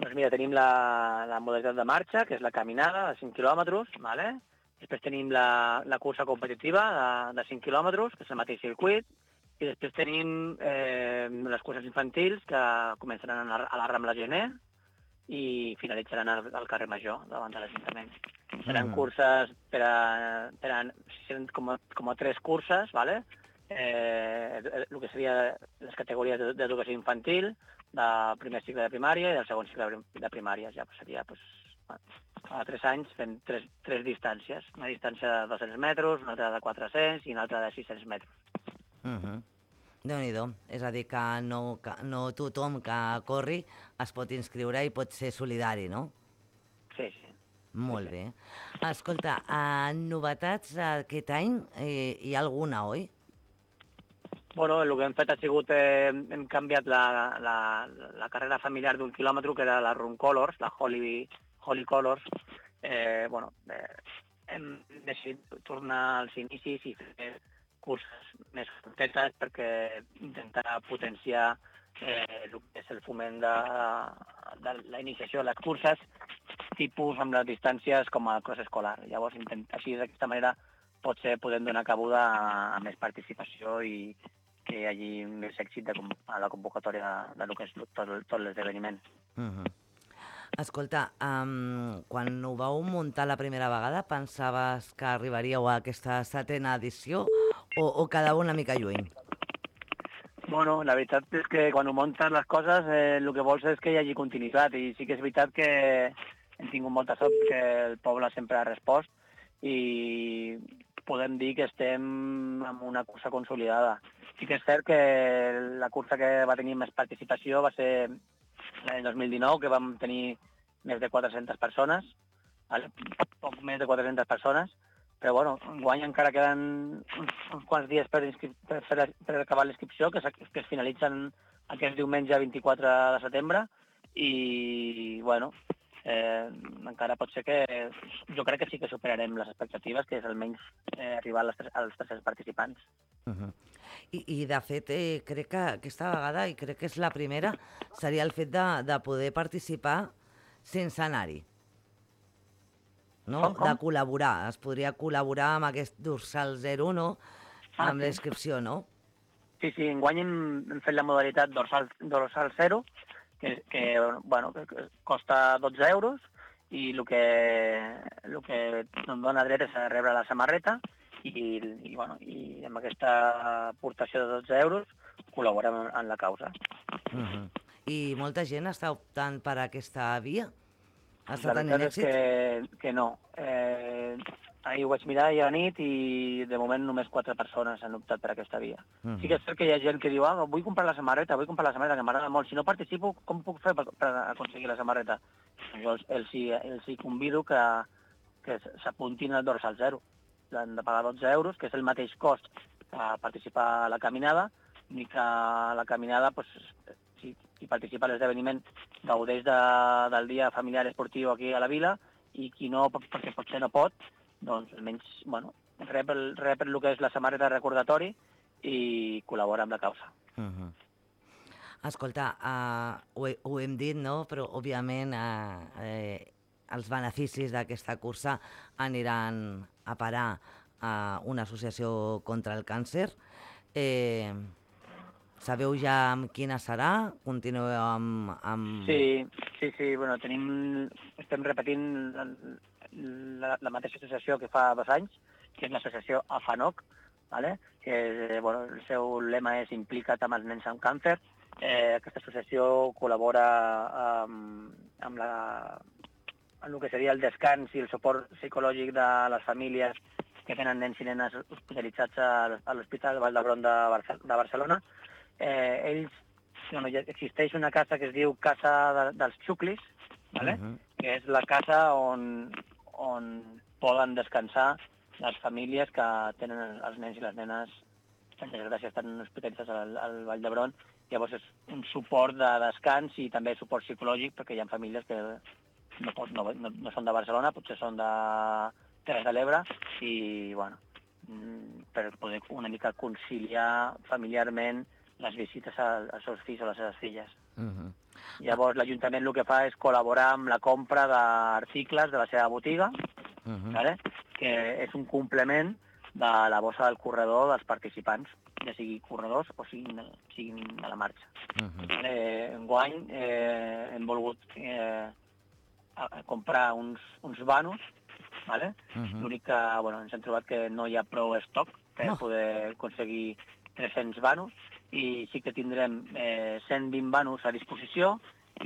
Doncs mira, tenim la, la modalitat de marxa, que és la caminada de cinc quilòmetres, vale? Després tenim la, la cursa competitiva de, de cinc quilòmetres, que és el mateix circuit, i després tenim eh, les curses infantils, que començaran a la, a la Rambla Gener, i finalitzaran al, al carrer Major, davant de l'Ajuntament. Seran mm. curses per a, per a seran com, a, com a tres curses, ¿vale? eh, el que seria les categories d'educació infantil, del primer cicle de primària i del segon cicle de primària. Ja pues, seria pues, a tres anys fent tres, tres distàncies. Una distància de dos-cents metres, una altra de quatre-cents i una altra de sis-cents metres. Mm-hmm. Déu-n'hi-do. És a dir, que no, que no tothom que corri es pot inscriure i pot ser solidari, no? Sí, sí. Molt sí, sí. bé. Escolta, uh, novetats aquest any eh, hi ha alguna, oi? Bueno, el que hem fet ha sigut, eh, hem canviat la, la, la carrera familiar d'un quilòmetre, que era la Run Colors, la Holy, Holy Colors. Eh, bueno, eh, hem decidit tornar als inicis i fer curses més curtetes perquè intentar potenciar eh, el que és el foment de, de la iniciació de les curses, tipus amb les distàncies com a cross escolar. Llavors, intent, així d'aquesta manera potser podem donar cabuda a, a més participació i que hi hagi més èxit de, a la convocatòria de, de lo que és tot, tot l'esdeveniment. Uh-huh. Escolta, um, quan ho vau muntar la primera vegada, pensaves que arribaríeu a aquesta setena edició o, o quedava una mica lluny? Bueno, la veritat és que quan ho muntes les coses eh, el que vols és que hi hagi continuïtat i sí que és veritat que hem tingut molta sort que el poble sempre ha respost i podem dir que estem en una cursa consolidada. Sí que és cert que la cursa que va tenir més participació va ser l'any dos mil dinou, que vam tenir més de quatre-centes persones, vale? Poc més de quatre-centes persones, però bueno, enguany encara queden uns, uns quants dies per, per, per, per acabar l'inscripció, que, que es finalitzen aquest diumenge vint-i-quatre de setembre, i bueno, eh, encara pot ser que jo crec que sí que superarem les expectatives, que és almenys eh, arribar als, als tres-cents participants. Uh-huh. I, I de fet, eh, crec que aquesta vegada, i crec que és la primera, seria el fet de, de poder participar sense anar-hi. No? Com, com? De col·laborar. Es podria col·laborar amb aquest dorsal zero, no? Ah, amb sí. la inscripció, no? Sí, sí, enguany hem, hem fet la modalitat dorsal, dorsal zero, que, que, bueno, que costa dotze euros, i el que, el que ens dona dret és a rebre la samarreta, i, i, bueno, i amb aquesta aportació de dotze euros col·laborem en, en la causa. Uh-huh. I molta gent està optant per aquesta via? Està La tenint veritat és èxit? que, que no. Eh, ahir ho vaig mirar ahir a la nit i de moment només quatre persones han optat per aquesta via. Uh-huh. Sí que és cert que hi ha gent que diu ah, vull comprar la samarreta, vull comprar la samarreta, que m'agrada molt. Si no participo, com puc fer per, per aconseguir la samarreta? Jo els, els, hi, els hi convido que, que s'apuntin al dorsal zero. Han de pagar dotze euros, que és el mateix cost a participar a la caminada, ni que a la caminada, pues, si, si participa a l'esdeveniment, gaudeix de, del dia familiar esportiu aquí a la vila, i qui no, perquè potser no pot, doncs almenys, bueno, rep el, rep el que és la samarreta recordatori i col·labora amb la causa. Uh-huh. Escolta, uh, ho, he, ho hem dit, no? Però, òbviament, uh, eh, els beneficis d'aquesta cursa aniran a parar a una associació contra el càncer. Eh, sabeu ja amb quina serà? Continueu amb... amb... Sí, sí, sí, bueno, tenim, estem repetint la, la, la mateixa associació que fa dos anys, que és l'associació AFANOC, ¿vale? Que bueno, el seu lema és Implica't amb els nens amb càncer. Eh, aquesta associació col·labora amb, amb, la, amb el que seria el descans i el suport psicològic de les famílies que tenen nens i nenes hospitalitzats a l'Hospital Vall d'Hebron de, Barce de Barcelona. Eh, ells, bueno, existeix una casa que es diu Casa de, dels Xuclis, ¿vale? Uh-huh. Que és la casa on, on poden descansar les famílies que tenen els nens i les nenes, per desgràcia, estan hospitalitzats al, al Vall d'Hebron. Llavors és un suport de descans i també suport psicològic, perquè hi ha famílies que no, pot, no, no, no són de Barcelona, potser són de Terres de l'Ebre, i bueno, per poder una mica conciliar familiarment les visites als seus fills o les seves filles. Uh-huh. Llavors l'Ajuntament el que fa és col·laborar amb la compra d'articles de la seva botiga, uh-huh. ¿vale? Que és un complement de la bossa del corredor dels participants, ja sigui corredors o siguin, siguin a la marxa. Uh-huh. eh, enguany eh, hem volgut eh, comprar uns, uns vanos, ¿vale? Uh-huh. L'únic que bueno, ens hem trobat que no hi ha prou estoc per no. poder aconseguir tres-cents vanos, i sí que tindrem eh, cent vint vanos a disposició,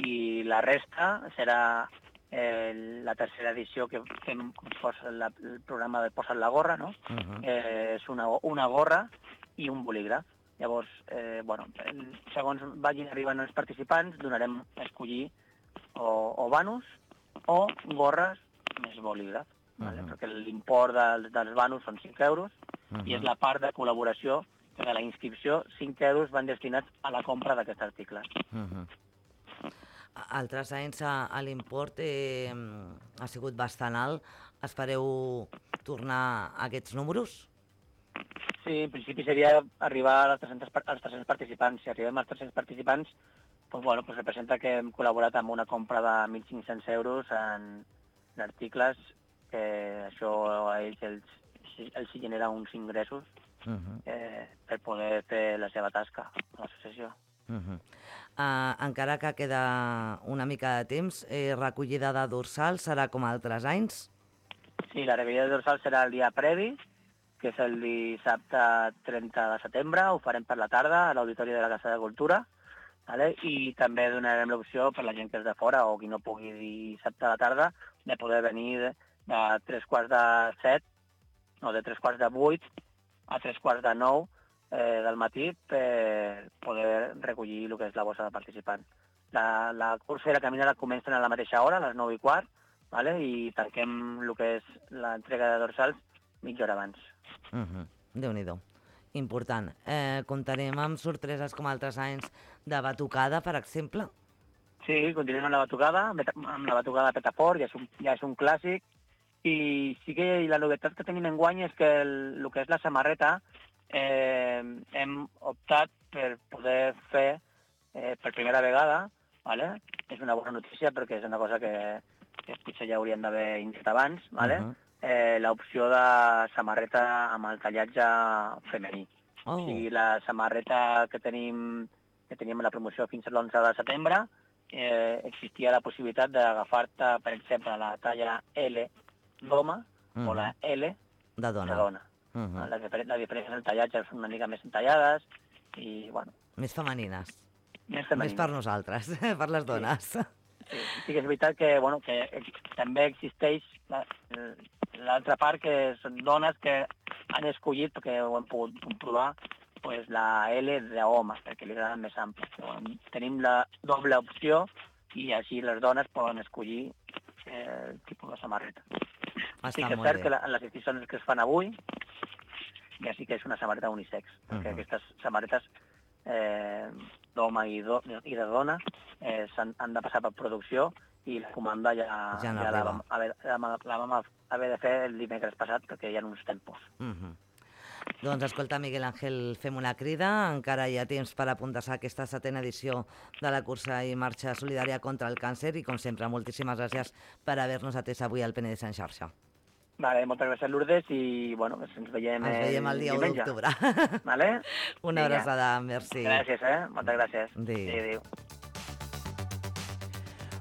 i la resta serà eh, la tercera edició que fem com si fos la, el programa de Posa't la gorra, no? Uh-huh. eh, és una, una gorra i un bolígraf. Llavors, eh, bueno, segons vagin arribant els participants, donarem a escollir o, o vanos o gorres més bolígraf, uh-huh. ¿vale? Perquè l'import dels, dels vanos són cinc euros, uh-huh. i és la part de col·laboració que de la inscripció, cinc euros van destinats a la compra d'aquest article. Uh-huh. Altres anys a l'import eh, ha sigut bastant alt. Espereu tornar a aquests números? Sí, en principi seria arribar als tres-cents, als tres-cents participants. Si arribem als tres-cents participants, doncs, bueno, doncs representa que hem col·laborat amb una compra de mil cinc-cents euros en, en articles, que això a ells els, els genera uns ingressos uh-huh. eh, per poder fer la seva tasca a l'associació. Uh-huh. Uh, encara que queda una mica de temps, eh, recollida de dorsal serà com altres anys? Sí, la recollida de dorsal serà el dia previ, que és el dissabte trenta de setembre, ho farem per la tarda a l'Auditori de la Casa de Cultura, ¿vale? I també donarem l'opció per la gent que és de fora o qui no pugui dissabte a la tarda de poder venir de, de tres quarts de set o de tres quarts de vuit a tres quarts de nou eh, del matí per poder recollir el que és la bossa de participant. La, la cursa i la caminada comencen a la mateixa hora, a les nou i quart, ¿vale? I tanquem el que és l'entrega de dorsals mitja hora abans. Uh-huh. Déu-n'hi-do. Important. Eh, comptarem amb sorpreses com altres anys de batucada, per exemple? Sí, continuem amb la batucada, amb la batucada de Petaport, ja és un, ja és un clàssic, i sí que la novetat que tenim enguany és que el, el que és la samarreta eh, hem optat per poder fer eh, per primera vegada, ¿vale? És una bona notícia perquè és una cosa que, que potser ja hauríem d'haver indicat abans, ¿vale? Uh-huh. eh, l'opció de samarreta amb el tallatge femení. Oh. O sigui, la samarreta que tenim que teníem a la promoció fins a l'onze de setembre, eh, existia la possibilitat d'agafar-te, per exemple, la talla L d'home uh-huh. o la L de dona. De dona Uh -huh. les, les diferències en tallatge són una mica més entallades i, bueno... Més femenines. Més femenines. Més per nosaltres, per les dones. Sí, sí, sí que és veritat que, bueno, que també existeix l'altra part, que són dones que han escollit, perquè ho hem pogut comprovar, pues, la L d'homes, perquè li agraden més amples. Bueno, tenim la doble opció i així les dones poden escollir eh, el tipus de samarreta. Està sí que és molt cert bé. que la, en les edicions que es fan avui ja sí que és una samarreta unisex, perquè uh -huh. aquestes samarretes eh, d'home i, do, i de dona eh, han, han de passar per producció i la comanda ja, Ja no ja la, arriba. vam haver, la, la vam haver de fer el dimecres passat perquè hi ha uns tempos. Uh -huh. Doncs escolta, Miguel Ángel, fem una crida. Encara hi ha temps per apuntar-se a aquesta setena edició de la cursa i marxa solidària contra el càncer i, com sempre, moltíssimes gràcies per haver-nos atès avui al Penedès en xarxa. Vale, moltes gràcies, Lourdes, i bueno, ens veiem, ens veiem el dia u d'octubre. Vale? Una abraçada, merci. Gràcies, eh? Moltes gràcies. Adéu. Adéu.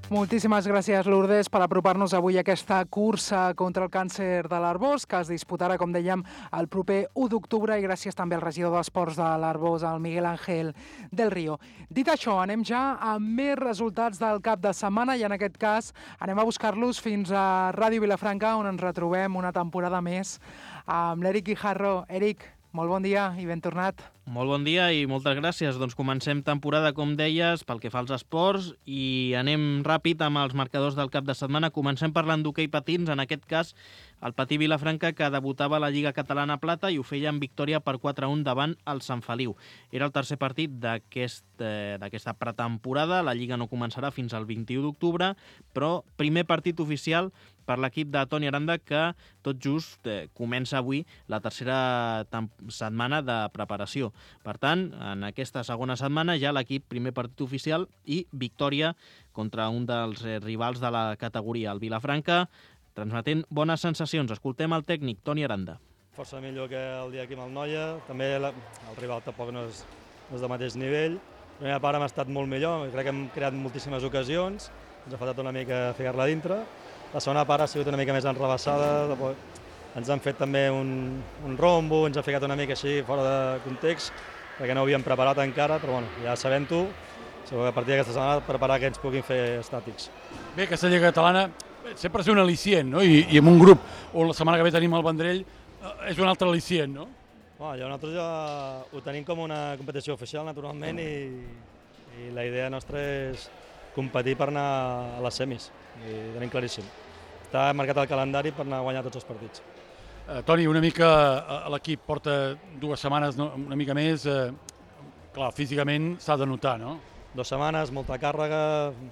Moltíssimes gràcies, Lourdes, per apropar-nos avui a aquesta cursa contra el càncer de l'Arboç, que es disputarà, com dèiem, el proper u d'octubre, i gràcies també al regidor d'Esports de l'Arboç, el Miguel Ángel del Río. Dit això, anem ja amb més resultats del cap de setmana i, en aquest cas, anem a buscar-los fins a Ràdio Vilafranca, on ens retrobem una temporada més amb l'Eric Guijarro. Eric, molt bon dia i ben tornat. Molt bon dia i moltes gràcies. Doncs comencem temporada, com deies, pel que fa als esports i anem ràpid amb els marcadors del cap de setmana. Comencem parlant d'hoquei patins, en aquest cas el Patí Vilafranca, que debutava a la Lliga Catalana Plata i ho feia amb victòria per quatre a un davant el Sant Feliu. Era el tercer partit d'aquest, eh, d'aquesta pretemporada. La Lliga no començarà fins al vint-i-u d'octubre, però primer partit oficial per l'equip de Toni Aranda, que tot just eh, comença avui la tercera setmana de preparació. Per tant, en aquesta segona setmana ja l'equip primer partit oficial i victòria contra un dels eh, rivals de la categoria, el Vilafranca, transmetent bones sensacions. Escoltem el tècnic, Toni Aranda. Força millor que el dia aquí amb el Noia. També la, el rival tampoc no és, no és de mateix nivell. La primera part hem estat molt millor, crec que hem creat moltíssimes ocasions, ens ha faltat una mica ficar-la dintre. La segona part ha sigut una mica més enrebaçada, ens han fet també un, un rombo, ens ha ficat una mica així fora de context, perquè no ho havíem preparat encara, però bueno, ja sabent-ho, segur que a partir d'aquesta setmana preparar que ens puguin fer estàtics. Bé, aquesta Lliga Catalana sempre és un al·licient, no? I, i en un grup on la setmana que ve tenim el Vendrell, eh, és un altre al·licient, no? Bueno, ja nosaltres ja ho tenim com una competició oficial, naturalment, i, i la idea nostra és competir per anar a les semis, i tenim claríssim. Està marcat el calendari per anar a guanyar tots els partits. Uh, Toni, una mica uh, l'equip porta dues setmanes, no? Una mica més, uh, clar, físicament s'ha de notar, no? Dues setmanes, molta càrrega,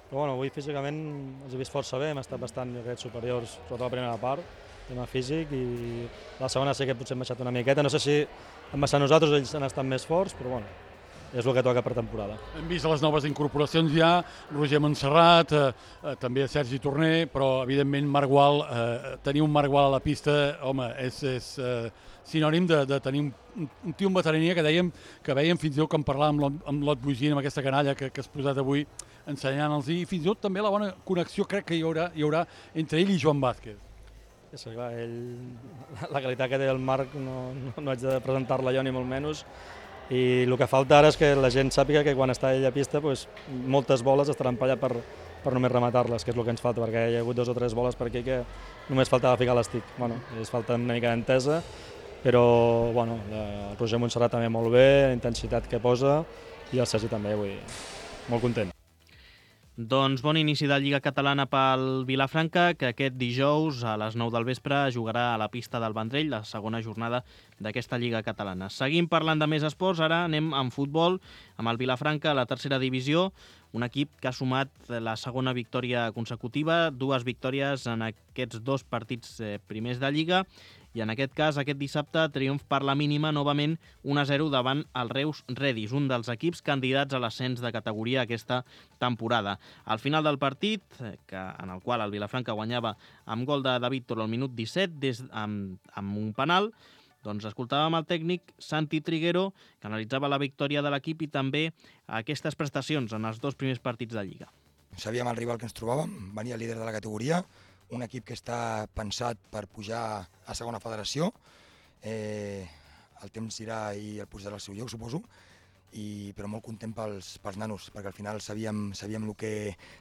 però bueno, avui físicament els he vist força bé, hem estat bastant superiors, sobretot la primera part, tema físic, i la segona sí que potser hem baixat una miqueta, no sé si hem baixat nosaltres, ells han estat més forts, però bueno, és el que toca per temporada. Hem vist les noves incorporacions ja, Roger Montserrat, eh, eh, també Sergi Torner, però evidentment Marc Gual, eh, tenir un Marc Gual a la pista, home, és, és eh, sinònim de, de tenir un, un tio amb veterania que dèiem, que veiem fins i tot que en parlàvem amb l'Ot Bugín, amb aquesta canalla que, que has posat avui, ensenyant-los, i fins i tot també la bona connexió crec que hi haurà, hi haurà entre ell i Joan Vázquez. Sí, clar, ell, la qualitat que té el Marc no, no, no haig de presentar-la jo ni molt menys, i el que falta ara és que la gent sàpiga que quan està ell a pista pues, moltes boles estaran per allà per, per només rematar-les, que és el que ens falta, perquè hi ha hagut dos o tres boles per aquí que només faltava ficar l'estic. Bueno, ens falta una mica d'entesa, però bueno, el Roger Montserrat també molt bé, la intensitat que posa, i el Sergi també, vull dir, molt content. Doncs bon inici de Lliga Catalana pel Vilafranca, que aquest dijous a les nou del vespre jugarà a la pista del Vendrell, la segona jornada d'aquesta Lliga Catalana. Seguim parlant de més esports, ara anem amb futbol, amb el Vilafranca a la tercera divisió, un equip que ha sumat la segona victòria consecutiva, dues victòries en aquests dos partits primers de Lliga, i en aquest cas, aquest dissabte, triomf per la mínima, novament un a zero davant el Reus Redis, un dels equips candidats a l'ascens de categoria aquesta temporada. Al final del partit, que, en el qual el Vilafranca guanyava amb gol de David Toro al minut disset, des, amb, amb un penal, doncs escoltàvem el tècnic Santi Triguero, que analitzava la victòria de l'equip i també aquestes prestacions en els dos primers partits de Lliga. Sabíem el rival que ens trobàvem, venia el líder de la categoria, un equip que està pensat per pujar a segona federació, eh, el temps irà i el posarà al seu lloc, suposo, i, però molt content pels, pels nanos, perquè al final sabíem, sabíem, el que,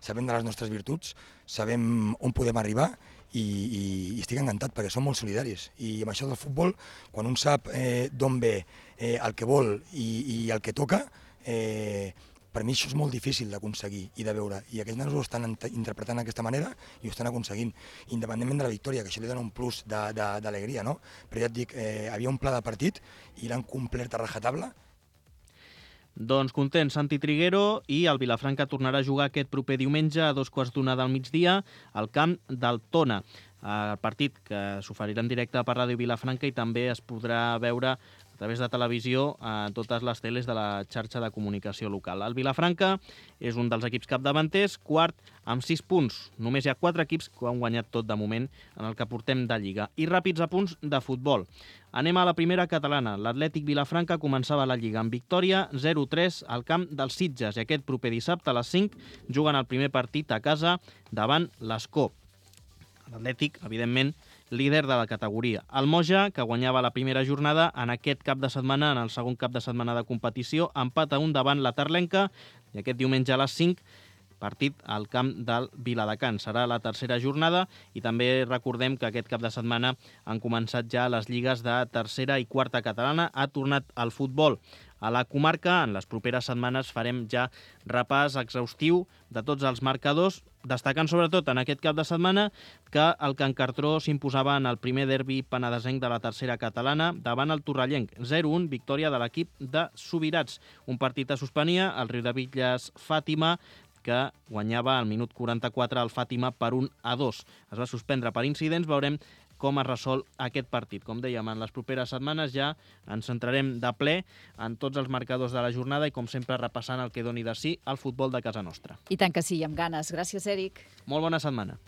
sabem de les nostres virtuts, sabem on podem arribar i, i, i estic encantat perquè som molt solidaris. I amb això del futbol, quan un sap eh, d'on ve, eh, el que vol i, i el que toca, eh, per mi això és molt difícil d'aconseguir i de veure, i aquests nanos ho estan interpretant d'aquesta manera i ho estan aconseguint, independentment de la victòria, que això li dona un plus d'alegria, no? Però ja et dic, eh, havia un pla de partit i l'han complert a rajatabla. Doncs content, Santi Triguero, i el Vilafranca tornarà a jugar aquest proper diumenge a dos quarts d'una del migdia al camp del Tona. El partit que s'oferirà en directe per Ràdio Vilafranca i també es podrà veure a través de televisió a totes les teles de la xarxa de comunicació local. El Vilafranca és un dels equips capdavanters, quart amb sis punts. Només hi ha quatre equips que han guanyat tot de moment en el que portem de Lliga. I ràpids apunts de futbol. Anem a la primera catalana. L'Atlètic Vilafranca començava la Lliga amb victòria zero tres al camp dels Sitges i aquest proper dissabte a les cinc juguen el primer partit a casa davant l'Escó. L'Atlètic, evidentment, líder de la categoria. El Moja, que guanyava la primera jornada, en aquest cap de setmana, en el segon cap de setmana de competició, empat a un davant la Terlenca i aquest diumenge a les cinc partit al camp del Viladecans. Serà la tercera jornada i també recordem que aquest cap de setmana han començat ja les lligues de tercera i quarta catalana. Ha tornat al futbol a la comarca. En les properes setmanes farem ja repàs exhaustiu de tots els marcadors, destacant sobretot en aquest cap de setmana que el Can Cartró s'imposava en el primer derbi penedesenc de la tercera catalana davant el Torrellenc. zero un, victòria de l'equip de Subirats. Un partit es suspenia, el Riudebitlles Fàtima, que guanyava al minut quaranta-quatre el Fàtima per un a dos. Es va suspendre per incidents, veurem com es resol aquest partit. Com dèiem, en les properes setmanes ja ens centrarem de ple en tots els marcadors de la jornada i, com sempre, repassant el que doni de si el futbol de casa nostra. I tant que sí, amb ganes. Gràcies, Èric. Molt bona setmana.